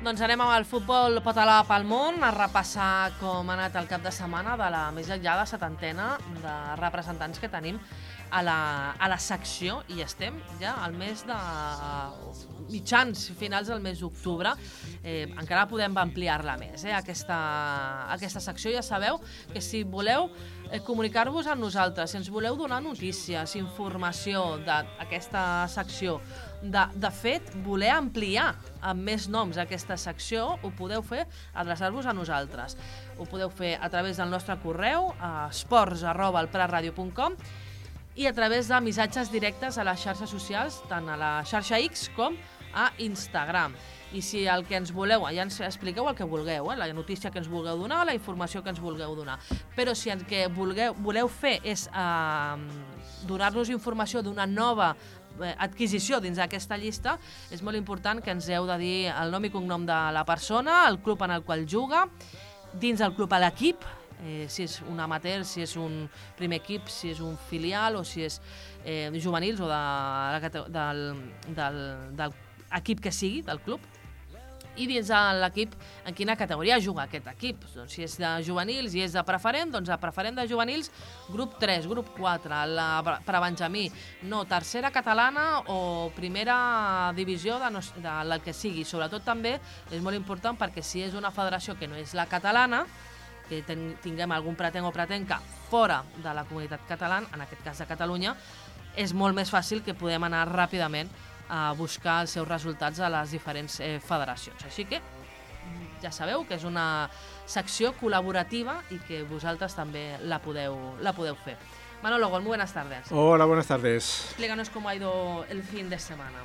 Doncs anem amb el futbol català pel món, a repassar com ha anat el cap de setmana de la més enllà de 70ena de representants que tenim a la secció, i estem ja al mes de mitjans, finals del mes d'octubre. Encara podem ampliar-la més, aquesta secció. Ja sabeu que si voleu comunicar-vos amb nosaltres, si ens voleu donar notícies, informació d'aquesta secció, de fet, voler ampliar amb més noms aquesta secció, ho podeu fer adreçar-vos a nosaltres. Ho podeu fer a través del nostre correu, esports@elpratradio.com, i a través de missatges directes a les xarxes socials, tant a la xarxa X com a Instagram. I si el que ens voleu, ja ens expliqueu el que vulgueu, la notícia que ens vulgueu donar, la informació que ens vulgueu donar. Però si el que voleu fer és donar-nos informació d'una nova adquisició dins d'aquesta llista, és molt important que ens heu de dir el nom i cognom de la persona, el club en el qual juga, dins del club a l'equip, si és un amateur, si és un primer equip, si és un filial o si és juvenils o del equip que sigui, del club, i dins de l'equip en quina categoria juga aquest equip. Doncs si és de juvenils i és de preferent, doncs a preferent de juvenils, grup 3, grup 4, per a Benjamí, no, tercera catalana o primera divisió del que sigui. Sobretot també és molt important perquè si és una federació que no és la catalana, que tinguem algun pretenc o pretenca fora de la comunitat catalana, en aquest cas de Catalunya, és molt més fàcil que podem anar ràpidament a buscar els seus resultats a les diferents federacions. Així que ja sabeu que és una secció col·laborativa i que vosaltres també la podeu fer. Manolo Gol, muy buenas tardes. Hola, buenas tardes. Explícanos cómo ha ido el fin de semana.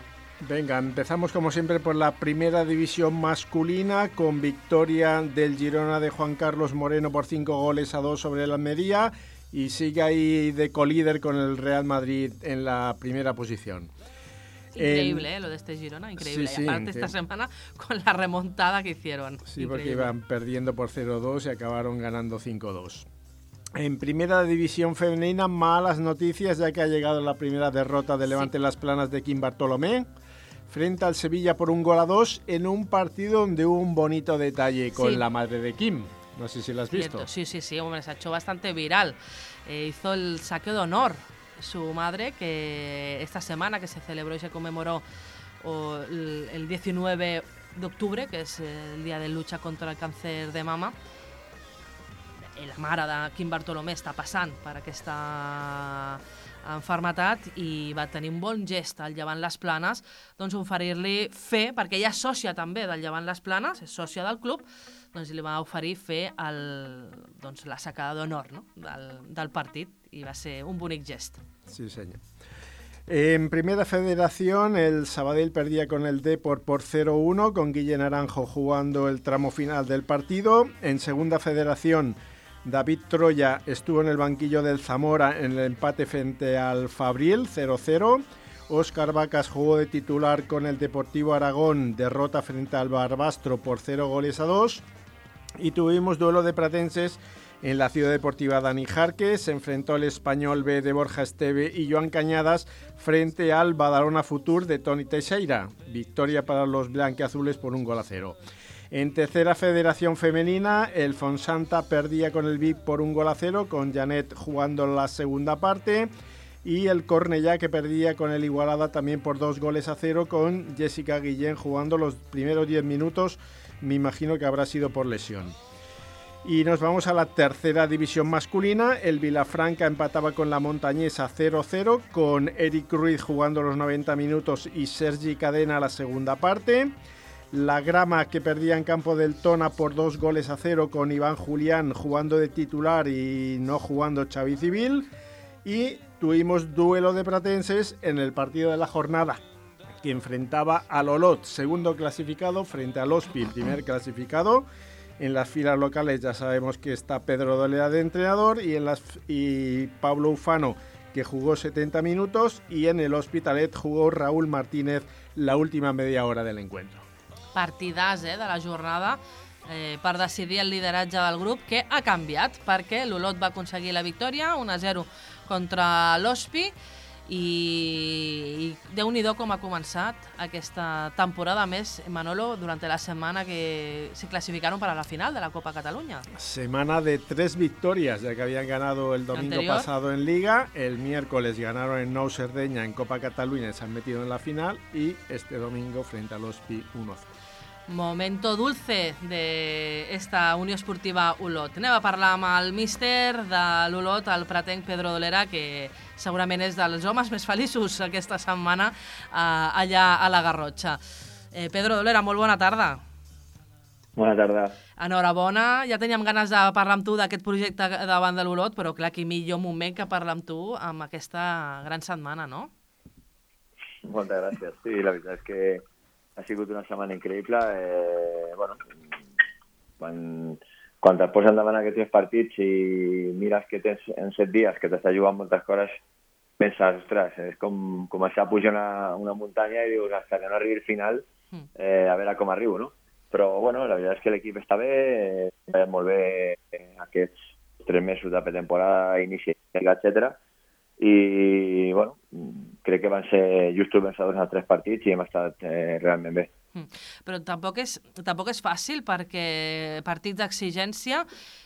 Venga, empezamos como siempre por la primera división masculina con victoria del Girona de Juan Carlos Moreno por 5-2 sobre el Almería y sigue ahí de colíder con el Real Madrid en la primera posición. Increíble, lo de este Girona, increíble. Sí, y aparte esta semana con la remontada que hicieron. Sí, increíble. Porque iban perdiendo por 0-2 y acabaron ganando 5-2. En primera división femenina, malas noticias ya que ha llegado la primera derrota de Levante Las Planas de Quim Bartolomé frente al Sevilla por 1-2 en un partido donde hubo un bonito detalle con la madre de Quim. No sé si lo has visto. Sí, hombre, se ha hecho bastante viral. Hizo el saqueo de honor su madre, que esta semana que se celebró y se conmemoró el 19 de octubre, que es el día de lucha contra el càncer de mama. La mare de Quim Bartolomé està passant per aquesta enfermetat i va tenir un bon gest al Llevant Les Planes, doncs oferir-li fer, perquè ella és sòcia també del Llevant Les Planes, és sòcia del club, doncs li va oferir fer la sacada d'honor, no? del partit, i va ser un bonic gest. Sí, señor. En primera federación, el Sabadell perdía con el Depor por 0-1, con Guille Naranjo jugando el tramo final del partido. En segunda federación, David Troya estuvo en el banquillo del Zamora en el empate frente al Fabril, 0-0. Óscar Vacas jugó de titular con el Deportivo Aragón, derrota frente al Barbastro por 0-2. Y tuvimos duelo de pratenses en la Ciudad Deportiva Dani Jarque. Se enfrentó el Español B de Borja Esteve y Joan Cañadas frente al Badalona Futur de Toni Teixeira. Victoria para los blanquiazules por 1-0. En tercera federación femenina, el Fonsanta perdía con el Vic por 1-0, con Janet jugando la segunda parte, y el Cornellá que perdía con el Igualada también por 2-0, con Jessica Guillén jugando los primeros 10 minutos, me imagino que habrá sido por lesión. Y nos vamos a la tercera división masculina. El Vilafranca empataba con la Montañesa 0-0, con Eric Ruiz jugando los 90 minutos y Sergi Cadena la segunda parte. La Grama que perdía en campo del Tona por 2-0, con Iván Julián jugando de titular y no jugando Xavi Civil. Y tuvimos duelo de pratenses en el partido de la jornada, que enfrentaba al Olot, segundo clasificado, frente al Hospital, primer clasificado. En las filas locales ya sabemos que está Pedro Dolea de entrenador y Pablo Ufano, que jugó 70 minutos, y en el Hospitalet jugó Raúl Martínez la última media hora del encuentro. Partidàs de la jornada per decidir el lideratge del grup, que ha canviat perquè l'Olot va aconseguir la victòria 1-0 contra l'Hospi i Déu-n'hi-do com ha començat aquesta temporada més, Manolo, durante la semana que se clasificaron para la final de la Copa Cataluña. Semana de 3 victorias, ya que habían ganado el domingo pasado en Liga, el miércoles ganaron en Nou Cerdeña en Copa Cataluña y se han metido en la final, y este domingo frente al Ospi 1-0. Momento dulce d'esta Unió Esportiva Olot. Anem a parlar amb el míster de l'Olot, el pretenc Pedro Dolera, que segurament és dels homes més feliços aquesta setmana allà a la Garrotxa. Pedro Dolera, molt bona tarda. Bona tarda. Enhorabona, ja teníem ganes de parlar amb tu d'aquest projecte davant de l'Olot, però clar, que millor moment que parlar amb tu amb aquesta gran setmana, no? Moltes gràcies. Sí, la veritat és que ha sigut una setmana increïble. Bueno, quan et posen davant aquests 3 partits i mires que tens en 7 dies que t'està jugant moltes coses, penses, ostres, és com començar a pujar una muntanya i dius, hasta que no arribi el final, a veure com arribo, no? Però, bueno, la veritat és que l'equip està bé, molt bé aquests 3 mesos de pretemporada, inici, etcètera. I, bueno, crec que van ser justos vencedors en els 3 partits i hem estat realment bé. Però tampoc és fàcil, perquè partits d'exigència,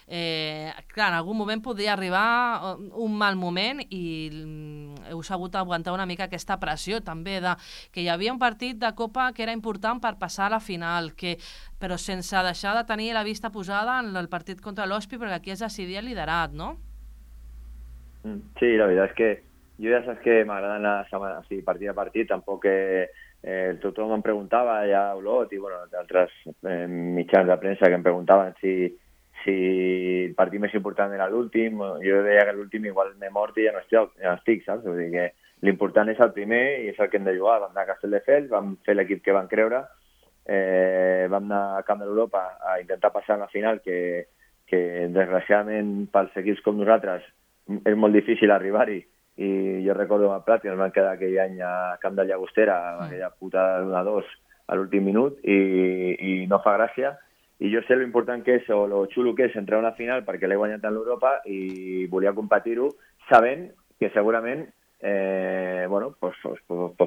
clar, en algun moment podria arribar un mal moment i heu sabut aguantar una mica aquesta pressió també de que hi havia un partit de Copa que era important per passar a la final, però sense deixar de tenir la vista posada en el partit contra l'Ospi, perquè aquí es decidia el liderat, no? Sí, la veritat és que jo ja saps que m'agrada anar partit a partit, tampoc tothom em preguntava ja a Olot i bueno, d'altres mitjans de premsa que em preguntaven si el partit més important era l'últim. Jo deia que l'últim igual m'he mort i ja no estic, saps? Vull dir que l'important és el primer i és el que hem de jugar. Vam anar a Castelldefels, vam fer l'equip que van creure, vam anar a Camp de l'Europa a intentar passar a la final, que desgraciadament pels equips com nosaltres és molt difícil arribar-hi, i jo recordo amb el Prat que ens van quedar aquell any a Camp de Llagostera, aquella putada d'1-2 a l'últim minut, i no fa gràcia. I jo sé lo important que és, o lo xulo que és entrar a una final, perquè l'he guanyat en l'Europa i volia competir-ho sabent que segurament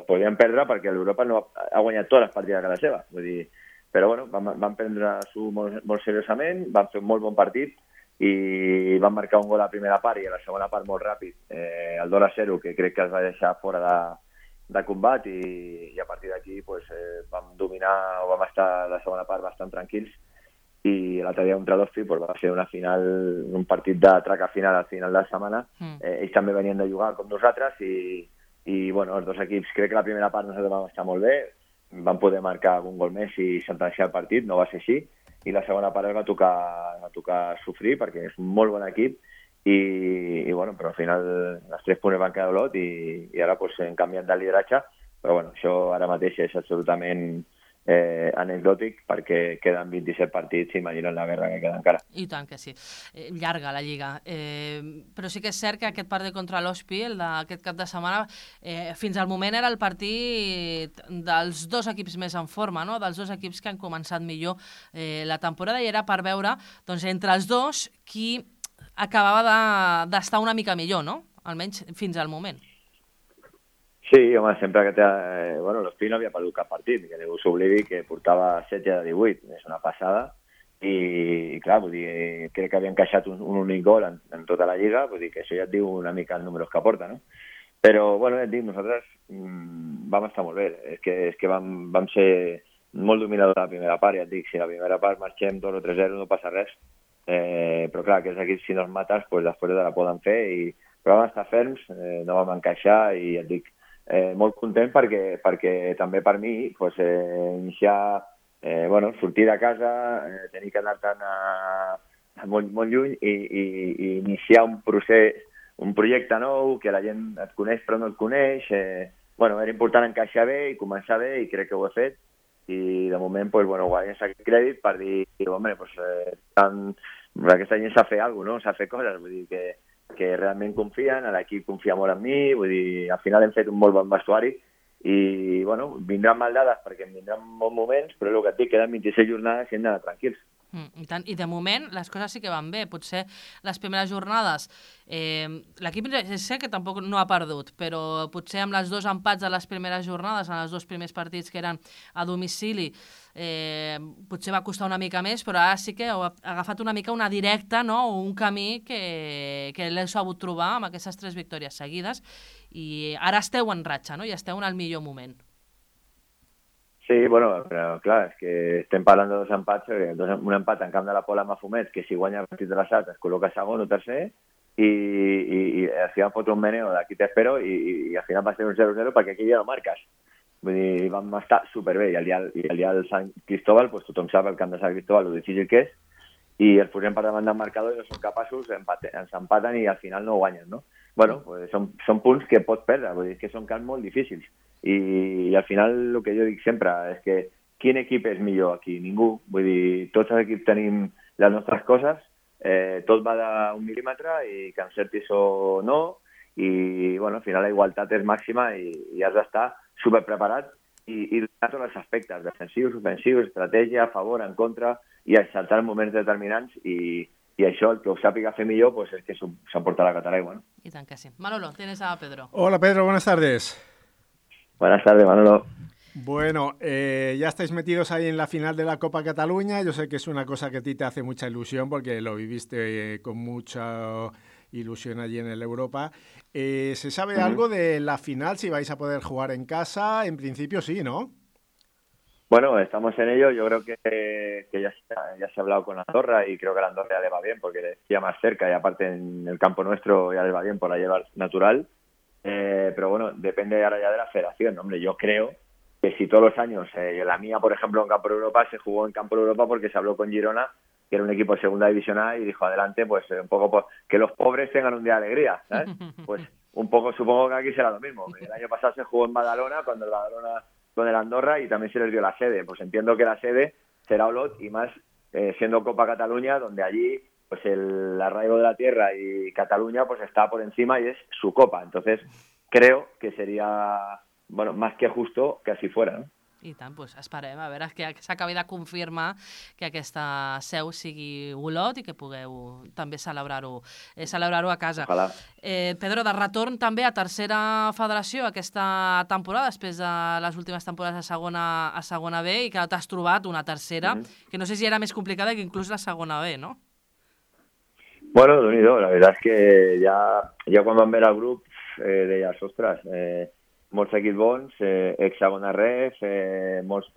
podríem perdre, perquè l'Europa no ha guanyat totes les partides a casa seva. Vull dir, però bueno, vam prendre-s'ho molt seriosament, vam fer un molt bon partit, i van marcar un gol a la primera part i a la segona part molt ràpid, el 2-0, que crec que es va deixar fora de combat, i a partir d'aquí vam dominar, o vam estar la segona part bastant tranquils, i l'altre dia contra l'Ospi va ser una final, un partit de traca final al final de la setmana. Ells també venien de jugar com nosaltres i bueno, els 2 equips, crec que la primera part nosaltres vam estar molt bé, vam poder marcar un gol més i sentenciar el partit, no va ser així, i la segona part va tocar sofrir perquè és un molt bon equip i bueno, però al final els 3 punts van quedar a Olot i ara hem canviat de lideratge, però bueno, això ara mateix és absolutament anecdòtic perquè queden 27 partits i imaginen la guerra que queda encara. I tant que sí. Llarga la Lliga. Però sí que és cert que aquest partit contra l'Ospi, el d'aquest cap de setmana, fins al moment era el partit dels 2 equips més en forma, no? Dels 2 equips que han començat millor la temporada, i era per veure doncs, entre els 2 qui acabava d'estar una mica millor, no? Almenys fins al moment. Sí, home, sempre que l'Ospi no havia perdut cap partit, que ningú s'oblidi que portava 7 de 18, és una passada, i clar, vull dir, crec que havia encaixat un únic gol en tota la Lliga, vull dir que això ja et diu una mica els números que porta, no? Però, bueno, et dic, nosaltres vam estar molt bé, és que vam ser molt dominadors a la primera part, ja et dic, si a la primera part marxem 2 o 3-0 no passa res, però clar, aquests equips si no els mates, després de la poden fer, però vam estar ferms, no vam encaixar, i ja et dic, molt content perquè també per mi iniciar, sortir de casa, tenir que anar-te'n molt lluny i iniciar un procés, un projecte nou, que la gent et coneix però no et coneix, era important encaixar bé i començar bé, i crec que ho he fet, i de moment guanyes aquest crèdit per dir, aquesta gent sap fer alguna cosa, no? Sap fer coses, vull dir que realment confien, l'equip confia molt en mi, vull dir, al final hem fet un molt bon vestuari i, vindran mal dades perquè em vindran bons moments, però el que et dic, queden 26 jornades i hem d'anar tranquils. I tant. I de moment les coses sí que van bé. Potser les primeres jornades l'equip sé que tampoc no ha perdut, però potser amb les 2 empats de les primeres jornades, en els 2 primers partits que eren a domicili, potser va costar una mica més, però ara sí que ha agafat una mica una directa, no? O un camí que l'heu sabut trobar amb aquestes 3 victòries seguides, i ara esteu en ratxa, no? I esteu en el millor moment. Sí, bueno, però clar, és que estem parlant de 2 empats, un empat en camp de la Pola amb Mafumet, que si guanya el partit de l'Assat es col·loca segon o tercer, i al final fot un meneo d'aquí t'espero, i al final va ser un 0-0 perquè aquí ja no marques. Vull dir, vam estar superbé, i el dia del Sant Cristóbal, pues, tothom sap el camp de Sant Cristóbal, lo difícil que és, i els posem per davant del marcador i no són capaços, ens empaten i al final no guanyen, no? Bueno, pues són punts que pots perdre, vull dir, que són camps molt difícils. I al final el que jo dic sempre és que quin equip és millor aquí? Ningú. Vull dir, tots els equips tenim les nostres coses, tot va d'un mil·límetre i que encertis o no, i bueno, al final la igualtat és màxima i has d'estar superpreparat i donar tots els aspectes, defensius, ofensius, estratègia, a favor, en contra, i acceptar moments determinants, i això, el que ho sàpiga fer millor, pues és que s'emporta la Cataraigua, ¿no? Y tan que sí. Manolo, tienes a Pedro. Hola Pedro, buenas tardes. Buenas tardes, Manolo. Bueno, ya estáis metidos ahí en la final de la Copa Cataluña. Yo sé que es una cosa que a ti te hace mucha ilusión porque lo viviste con mucha ilusión allí en el Europa. ¿Se sabe algo de la final, si vais a poder jugar en casa? En principio sí, ¿no? Bueno, estamos en ello. Yo creo que ya se ha hablado con Andorra y creo que a Andorra ya le va bien porque le pilla más cerca y aparte en el campo nuestro ya le va bien por la llevar natural. Pero bueno, depende ahora ya de la federación. Hombre, yo creo que si todos los años, la mía, por ejemplo, en Campo de Europa, se jugó en Campo de Europa porque se habló con Girona, que era un equipo de segunda división A, y dijo, adelante, pues un poco pues, que los pobres tengan un día de alegría, ¿sabes? Pues un poco, supongo que aquí será lo mismo. El año pasado se jugó en Badalona, cuando el Badalona con el Andorra, y también se les dio la sede. Pues entiendo que la sede será Olot, y más siendo Copa Cataluña, donde allí pues el arraigo de la tierra y Cataluña pues está por encima y es su copa. Entonces creo que sería, bueno, más que justo que así fuera, ¿no? I tant, doncs esperem a veure que s'acabi de confirmar que aquesta seu sigui Olot i que pugueu també celebrar-ho a casa. Ojalà. Pedro, de retorn també a tercera federació aquesta temporada, després de les últimes temporades a segona B, i que t'has trobat una tercera, que no sé si era més complicada que inclús la segona B, no? Bueno, Déu-n'hi-do, la veritat és que ja quan vam veure el grup deies, ostres, molts equips bons, ex-segona ref, molts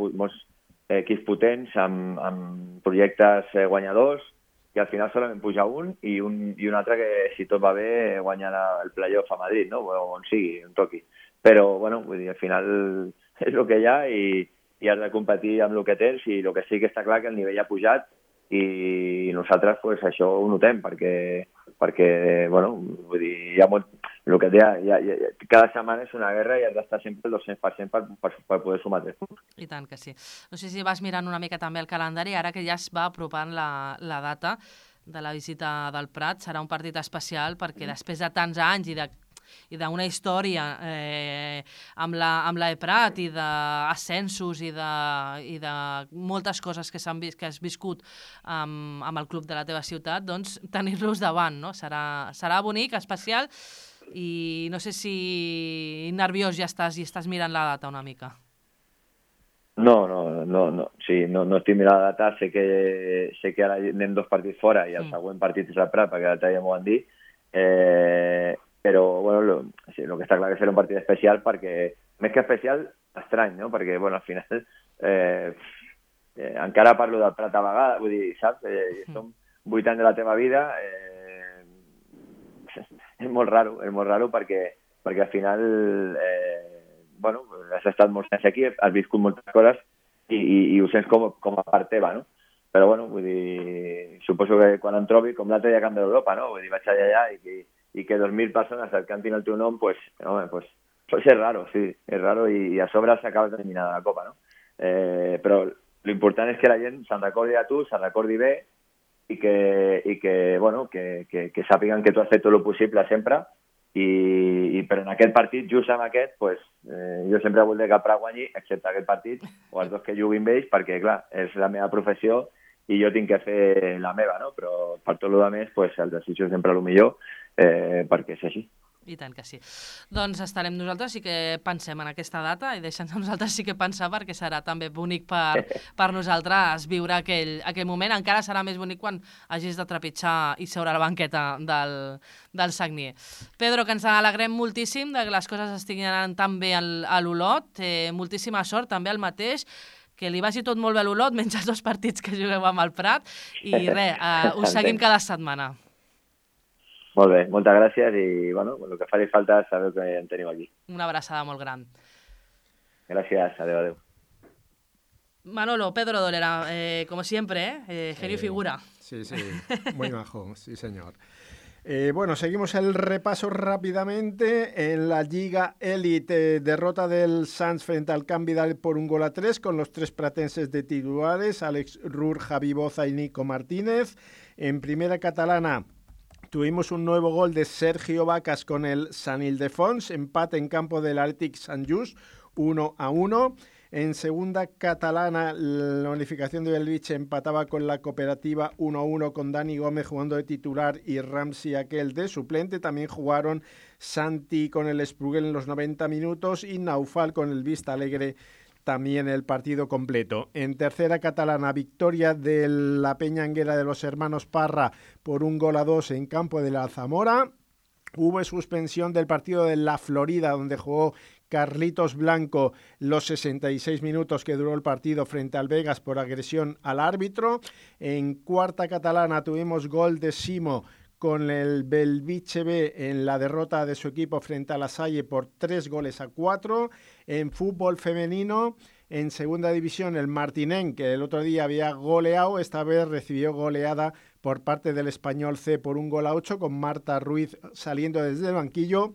equips potents amb projectes guanyadors, i al final solament puja un i un altre que, si tot va bé, guanya el playoff a Madrid, no? O on sigui, on toqui. Però, bueno, vull dir, al final és el que hi ha i has de competir amb el que tens, i el que sí que està clar que el nivell ha pujat, i nosaltres pues, això ho notem perquè bueno, vull dir, el que deia, cada setmana és una guerra i has d'estar sempre el 200% per poder sumar 3 punts. I tant que sí. No sé si vas mirant una mica també el calendari, ara que ja es va apropant la data de la visita del Prat, serà un partit especial perquè després de tants anys i d'una història amb la Prat i d'ascensos i de moltes coses que has viscut amb el club de la teva ciutat, doncs tenir-los davant, no? Serà bonic, especial, i no sé si nerviós ja estàs i estàs mirant la data una mica. No, sí, no estic mirant la data, sé que ara anem 2 partits fora i el següent partit és el Prat, perquè l'altre dia m'ho van dir, però bueno, sí, el que està clar que serà un partit especial, perquè més que especial, estrany, no? Perquè bueno, al final encara parlo del Prat a vegades, vull dir, saps? Som 8 anys de la teva vida, és molt raro perquè al final bueno, has estat molts anys aquí, has viscut moltes coses i ho sents com a part teva, no? Però bueno, vull dir, suposo que quan em trobi, com l'altre dia a Camp d'Europa, no? Vull dir, vaig allà i que 2.000 persones et cantin el teu nom, pues és raro, sí, és raro, i a sobre s'acaba d'eliminar de la Copa, no? Però l'important és que la gent se'n recordi a tu, se'n recordi bé, i que bueno, que sàpiguen que tu has fet tot el possible sempre, però en aquest partit, just amb aquest, pues, jo sempre voldré que el Prat guanyi, excepte aquest partit, o els dos que juguin vells, perquè clar, és la meva professió, i jo tinc que fer la meva, no? Però per tot el més, pues, el desitjo sempre el millor, perquè és així. I tant que sí. Doncs estarem nosaltres, sí que pensem en aquesta data i deixem nosaltres sí que pensar perquè serà també bonic per nosaltres viure aquell moment. Encara serà més bonic quan hagis de trepitjar i seure a la banqueta del Sagnier. Pedro, que ens alegrem moltíssim de que les coses estiguin anant tan bé a l'Olot. Moltíssima sort també al mateix, que li vagi tot molt bé a l'Olot, menys els 2 partits que jugueu amb el Prat. I res, us seguim cada setmana. Molt bé, moltes gràcies i bueno, el que faci falta sabeu que en teniu aquí. Una abraçada molt gran. Gràcies, adeu. Manolo, Pedro Dolera, como siempre, genio y figura. Sí, muy majo, sí señor. Bueno, seguimos el repaso rápidamente. En la Liga Elite, derrota del Sants frente al Can Vidal por 1-3 con los 3 pratenses de titulares, Alex Rur, Javi Boza y Nico Martínez. En primera catalana tuvimos un nuevo gol de Sergio Vacas con el Sant Ildefons, empate en campo del Athletic Sant Just, 1-1. En segunda catalana, la unificación de Belvich empataba con la Cooperativa 1-1 con Dani Gómez jugando de titular y Ramsey aquel de suplente. También jugaron Santi con el Sprugel en los 90 minutos y Naufal con el Vista Alegre también el partido completo. En tercera catalana, victoria de la Peñanguera de los hermanos Parra por 1-2 en campo de la Zamora. Hubo suspensión del partido de la Florida, donde jugó Carlitos Blanco los 66 minutos que duró el partido frente al Vegas por agresión al árbitro. En cuarta catalana tuvimos gol de Simo con el Belviche B en la derrota de su equipo frente a La Salle por 3-4. En fútbol femenino, en segunda división, el Martinén, que el otro día había goleado, esta vez recibió goleada por parte del Español C por 1-8, con Marta Ruiz saliendo desde el banquillo.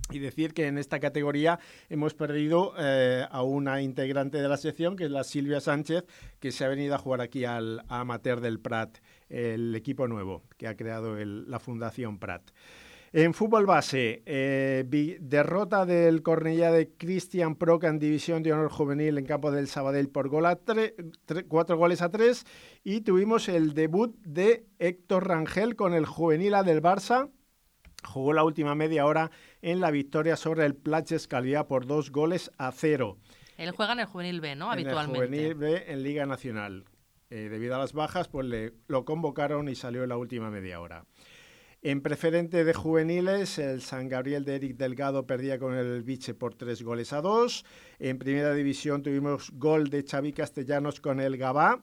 Y decir que en esta categoría hemos perdido a una integrante de la sección, que es la Silvia Sánchez, que se ha venido a jugar aquí al Amateur del Prat, el equipo nuevo que ha creado la Fundación Prat. En fútbol base, derrota del Cornellá de Cristian Proca en División de Honor Juvenil en campo del Sabadell por 4-3, y tuvimos el debut de Héctor Rangel con el Juvenil A del Barça. Jugó la última media hora en la victoria sobre el Platges Calviá por 2-0. Él juega en el Juvenil B, ¿no? Habitualmente. En el Juvenil B en Liga Nacional. Debido a las bajas, pues lo convocaron y salió en la última media hora. En preferente de juveniles, el San Gabriel de Eric Delgado perdía con el Elviche por 3-2. En primera división tuvimos gol de Xavi Castellanos con el Gavà,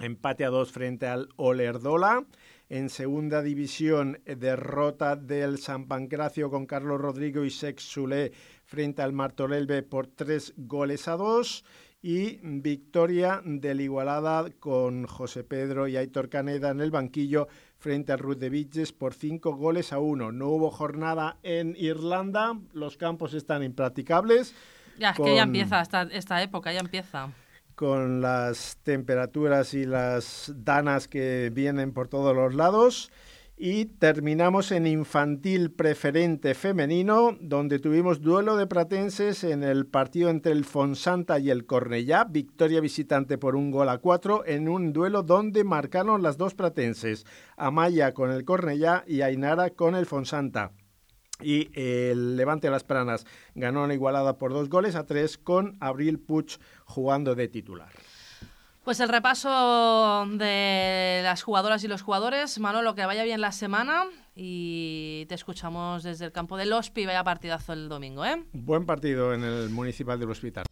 empate a 2 frente al Olerdola. En segunda división, derrota del San Pancracio con Carlos Rodrigo y Sex Zulé frente al Martorell B por 3-2. Y victoria del Igualada con José Pedro y Aitor Caneda en el banquillo frente al Ruth de Vitges por 5-1. No hubo jornada en Irlanda, los campos están impracticables. Ya, es que ya empieza esta época, ya empieza. Con las temperaturas y las danas que vienen por todos los lados. Y terminamos en infantil preferente femenino, donde tuvimos duelo de pratenses en el partido entre el Fonsanta y el Cornellá, victoria visitante por 1-4, en un duelo donde marcaron las 2 pratenses, Amaya con el Cornellá y Ainara con el Fonsanta. Y el Levante Las Pranas ganó la Igualada por 2-3 con Abril Puig jugando de titular. Pues el repaso de las jugadoras y los jugadores. Manolo, que vaya bien la semana y te escuchamos desde el campo del Hospi. Vaya partidazo el domingo, ¿eh? Buen partido en el Municipal del Hospital.